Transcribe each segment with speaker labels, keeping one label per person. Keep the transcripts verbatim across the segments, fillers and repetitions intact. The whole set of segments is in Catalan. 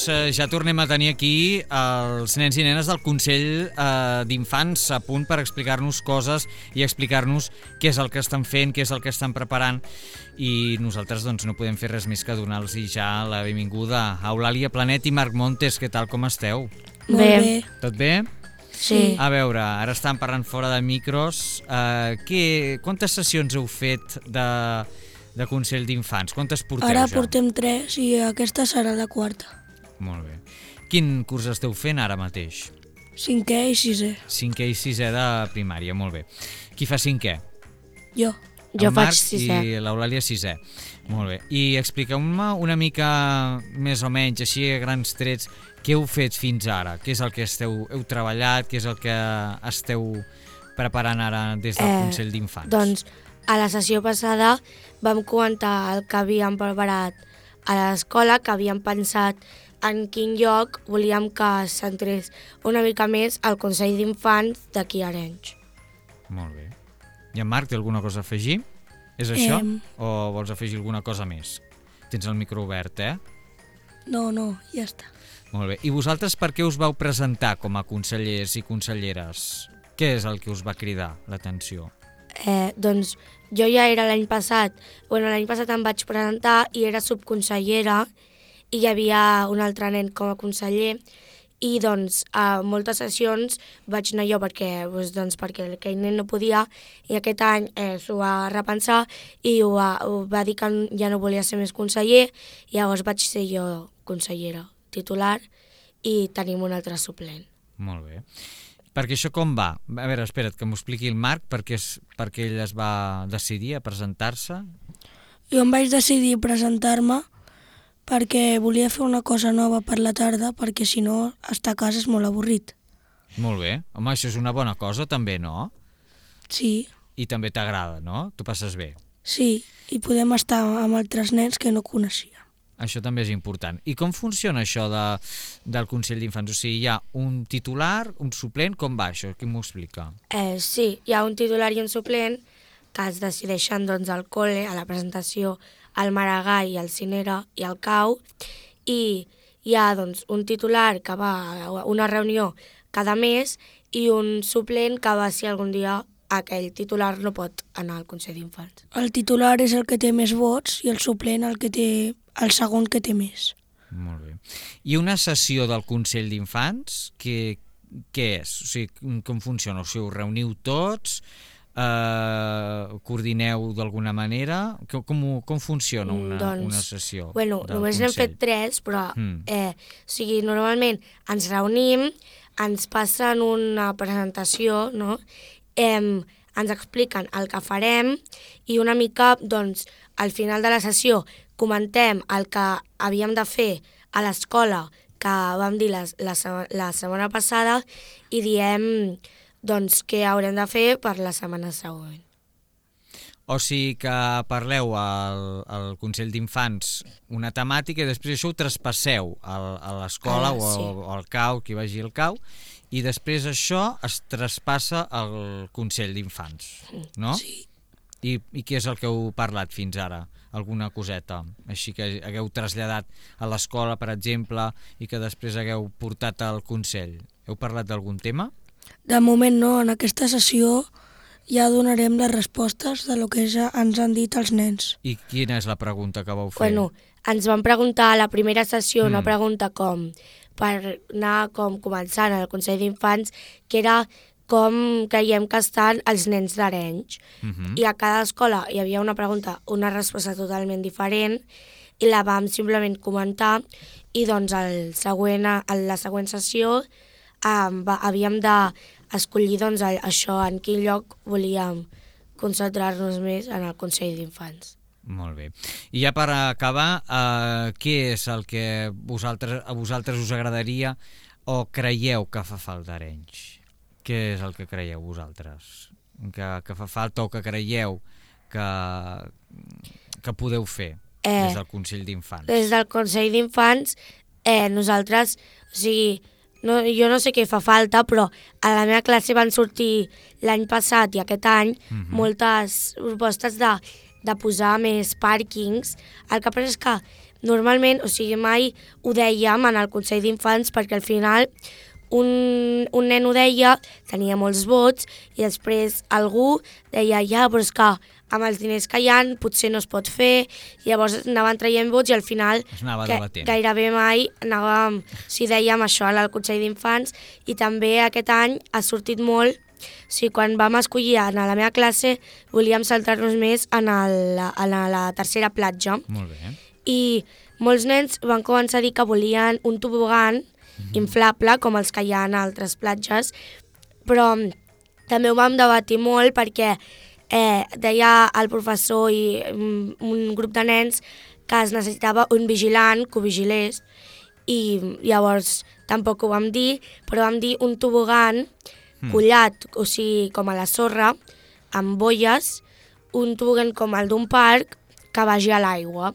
Speaker 1: Doncs eh, ja tornem a tenir aquí els nens i nenes del Consell eh, d'Infants a punt per explicar-nos coses i explicar-nos què és el que estan fent, què és el que estan preparant, i nosaltres doncs, no podem fer res més que donar-los ja la benvinguda a Eulàlia Planet i Marc Montes. Què tal, com esteu?
Speaker 2: Molt bé.
Speaker 1: Tot bé?
Speaker 2: Sí.
Speaker 1: A veure, ara estan parlant fora de micros. Eh, què, quantes sessions heu fet de, de Consell d'Infants? Quantes porteu
Speaker 2: Ara
Speaker 1: ja?
Speaker 2: portem tres i aquesta serà la quarta.
Speaker 1: Molt bé. Quin curs esteu fent ara mateix?
Speaker 2: Cinquè i sisè.
Speaker 1: Cinquè i sisè de primària, molt bé. Qui fa cinquè?
Speaker 2: Jo.
Speaker 3: Jo
Speaker 1: El
Speaker 3: faig
Speaker 1: Marc
Speaker 3: sisè.
Speaker 1: I l'Eulàlia sisè. Molt bé. I expliqueu-me una mica més o menys, així a grans trets, què heu fet fins ara? Què és el que esteu, heu treballat? Què és el que esteu preparant ara des del
Speaker 3: Eh,
Speaker 1: Consell d'Infants?
Speaker 3: Doncs a la sessió passada vam comentar el que havíem preparat a l'escola, que havíem pensat en quin lloc volíem que es centrés una mica més el Consell d'Infants d'aquí a Arenys.
Speaker 1: Molt bé. I en Marc, té alguna cosa a afegir? És això?
Speaker 2: Em.
Speaker 1: O vols afegir alguna cosa més? Tens el micro obert, eh?
Speaker 2: No, no, ja està.
Speaker 1: Molt bé. I vosaltres per què us vau presentar com a consellers i conselleres? Què és el que us va cridar l'atenció?
Speaker 3: Eh, doncs jo ja era l'any passat, bueno, l'any passat em vaig presentar i era subconsellera i hi havia un altre nen com a conseller, i doncs a moltes sessions vaig anar jo perquè, doncs, doncs, perquè aquell nen no podia, i aquest any eh, s'ho va repensar i ho va, ho va dir que ja no volia ser més conseller, i llavors vaig ser jo consellera titular i tenim un altre suplent.
Speaker 1: Molt bé. Perquè això com va? A veure, espera't, que m'ho expliqui el Marc, perquè, és, perquè ell es va decidir a presentar-se.
Speaker 2: Jo em vaig decidir presentar-me perquè volia fer una cosa nova per la tarda, perquè si no, estar a casa és molt avorrit.
Speaker 1: Molt bé. Home, això és una bona cosa també, no?
Speaker 2: Sí,
Speaker 1: I també t'agrada, no? Tu passes bé.
Speaker 2: sí, i podem estar amb altres nens que no coneixia.
Speaker 1: Això també és important. I com funciona això de, del Consell d'Infants? O sigui, hi ha un titular, un suplent, com va això? Qui m'ho explica?
Speaker 3: Eh, sí, hi ha un titular i un suplent que es decideixen doncs, al col·le, a la presentació, al Maragall, al Cinera i al Cau, i hi ha doncs, un titular que va a una reunió cada mes i un suplent que va si algun dia aquell titular no pot anar al Consell d'Infants.
Speaker 2: El titular és el que té més vots i el suplent el que té el segon que té més.
Speaker 1: Molt bé. I una sessió del Consell d'Infants, què, què és? O sigui, com funciona? O sigui, us reuniu tots, eh, coordineu d'alguna manera? Com, com, com funciona una,
Speaker 3: Doncs,
Speaker 1: una sessió
Speaker 3: Bueno,
Speaker 1: del
Speaker 3: només n'hem
Speaker 1: Consell?
Speaker 3: fet tres, però
Speaker 1: Mm.
Speaker 3: eh, o sigui, normalment ens reunim, ens passen una presentació, no? Em, ens expliquen el que farem i una mica, doncs, al final de la sessió comentem el que havíem de fer a l'escola que vam dir la, la, se- la setmana passada i diem doncs, què haurem de fer per la setmana següent.
Speaker 1: O sigui que parleu al, al Consell d'Infants una temàtica i després això ho traspasseu al, a l'escola
Speaker 3: Ah,
Speaker 1: o,
Speaker 3: sí.
Speaker 1: al, o al cau, qui vagi al cau, i després això es traspassa al Consell d'Infants, no?
Speaker 2: Sí.
Speaker 1: I, I què és el que heu parlat fins ara? Alguna coseta? Així que hagueu traslladat a l'escola, per exemple, i que després hagueu portat al Consell. Heu parlat d'algun tema?
Speaker 2: De moment no, en aquesta sessió ja donarem les respostes de lo que ja ens han dit els nens.
Speaker 1: I quina és la pregunta que vau fer?
Speaker 3: Bueno, ens van preguntar a la primera sessió una
Speaker 1: Mm.
Speaker 3: pregunta com per anar com començant al Consell d'Infants, que era com creiem que estan els nens d'Arenys.
Speaker 1: Mhm.
Speaker 3: I a cada escola hi havia una pregunta, una resposta totalment diferent, i la vam simplement comentar, i doncs el següent, a la següent sessió um, va, havíem d'escollir doncs, el- això, en quin lloc volíem concentrar-nos més en el Consell d'Infants.
Speaker 1: Molt bé. I ja per acabar, eh, què és el que vosaltres, a vosaltres us agradaria o creieu que fa falta a Arenys? Què és el que creieu vosaltres? Que, que fa falta o que creieu que, que podeu fer
Speaker 3: Eh,
Speaker 1: des del Consell d'Infants?
Speaker 3: Des del Consell d'Infants, eh, nosaltres, o sigui, no, jo no sé què fa falta, però a la meva classe van sortir l'any passat i aquest any
Speaker 1: Mhm.
Speaker 3: moltes propostes de, de posar més pàrquings. El que passa és que normalment, o sigui, mai ho dèiem en el Consell d'Infants perquè al final un, un nen ho deia, tenia molts vots i després algú deia ja, però és que amb els diners que hi ha potser no es pot fer, llavors anaven traient vots i al final que, gairebé mai anàvem, si dèiem això al Consell d'Infants, i també aquest any ha sortit molt, o sigui, quan vam escollir anar a la meva classe volíem saltar-nos més en, el, en la tercera platja.
Speaker 1: Molt bé.
Speaker 3: I molts nens van començar a dir que volien un tobogan mm-hmm. inflable com els que hi ha en altres platges, però també ho vam debatir molt perquè Eh, deia el professor i un, un grup de nens que es necessitava un vigilant que ho vigilés i llavors tampoc ho vam dir, però vam dir un tobogan mm. collat, o sigui, com a la sorra, amb boies, un tobogan com el d'un parc que vagi a l'aigua.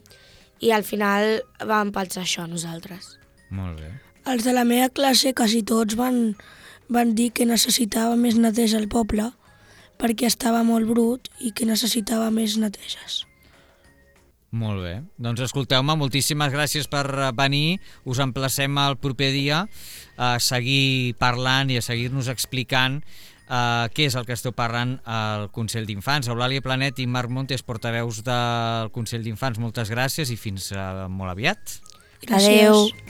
Speaker 3: I al final vam pensar això nosaltres.
Speaker 1: Molt bé.
Speaker 2: Els de la meva classe quasi tots van, van dir que necessitava més neteja al poble perquè estava molt brut i que necessitava més neteges.
Speaker 1: Molt bé. Doncs escolteu-me, moltíssimes gràcies per venir. Us emplacem el proper dia a seguir parlant i a seguir-nos explicant uh, què és el que esteu parlant al Consell d'Infants. Eulàlia Planet i Marc Montes, portaveus del Consell d'Infants, moltes gràcies i fins uh, molt aviat.
Speaker 3: Gràcies. Adéu.